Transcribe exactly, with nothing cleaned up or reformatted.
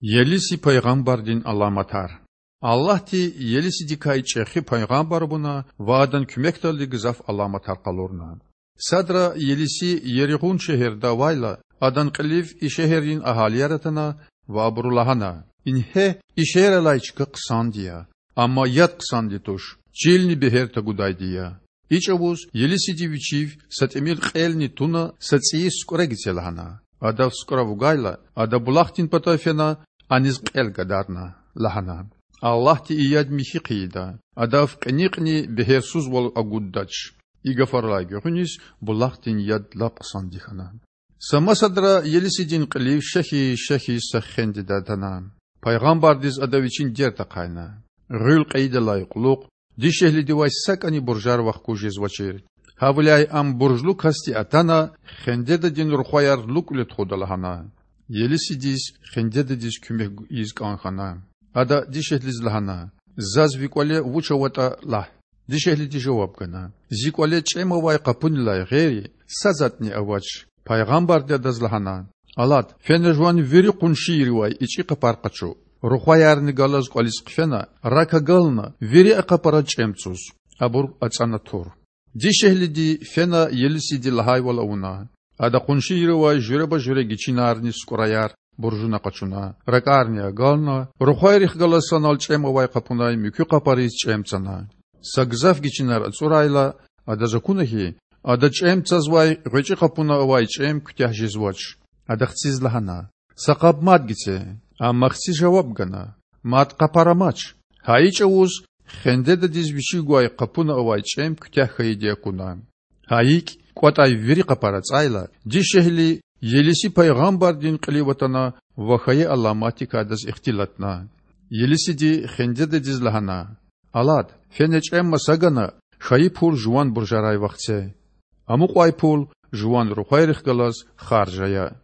Елиси пайгъамбардин аламатар. Аллагьди Елисидикай чІехи пайгъамбар авуна ва адан куьмекдалди гзаф аламатар къалурна. Садра Елиси Еригьун шегьерда авайла, адан кьилив и шегьеррин агьалияр атана ва абуру лагьана: Ингье, и шегьер алай чка хъсанди я, амма яд хъсанди туш, чилни бегьер тагудайди я. И чІавуз Елисиди вичив са тІимил кьелни туна са цІийи сукІра гице лагьана. Адав сукІра вугайла, ада булахдин патав фена, аниз кьел гадарна, лагьана: Аллагьди и яд михьи хъийида, адав кьиникьни бегьерсузвал агуддач. И гафарилай гуьгъуьниз булахдин яд лап хъсанди хьана. Са масадра Елисидин кьилив шехьиз-шехьиз са хендеда атана. Пайгъамбардиз ада вичин дерт ахъайна: Гъуьл кьейидалай кьулухъ дишегьлидивай сакІани буржар вахгуз жезвачир. Гьавиляй ам буржлу касди атана, хендедадин рухваяр лукІвиле тухуда лагьана. Елисидиз хендедадиз куьмек ийиз кІан хьана. Ада дишегьлидиз лагьана: Заз ви кІвале вуч аватІа лагь. Дишегьлиди жаваб гана: Зи кІвале чІем авай къапунилай гъейри са затІни авач. Пайгъамбарди адаз лагьана: Алад, фена жуван вири къуншийривай ичІи къапар къачу. Рухваярни галаз кІвализ хъфена, рак агална, вири а къапараз чІем цуз. Абур ацІана тур. Дишегьлиди фена Елисиди лагьайвал авуна. Ада къуншийривай жуьреба-жуьре гичинарни сукІраяр буржуна къачуна, ракІарни агална, рухвайрихъ галаз санал чІем авай къапунай муькуь къапариз чІем цана. Са гзаф гичинар ацІурайла, адаз акуна хьи, ада чІем цазвай гъвечІи къапуна авай чІем куьтягь жезвач. Ада хциз лагьана: Са къаб мад гице. Амма хци жаваб гана: Мад къапар амач. Гьа и чІавуз хендедадиз вичив гвай къапуна авай чІем куьтягь хьайиди акуна. Гьа икІ, кІватІай вири къапар ацІайла, дишегьли Елиси пайгъамбардин кьилив атана ва хьайи аламатдикай адаз ихтилатна. Елисиди хендедадиз лагьана: Алад, фена чІем маса гана, хьайи пул жуван буржарай вахце. Амукьай пул жуван рухвайрихъ галаз харж ая.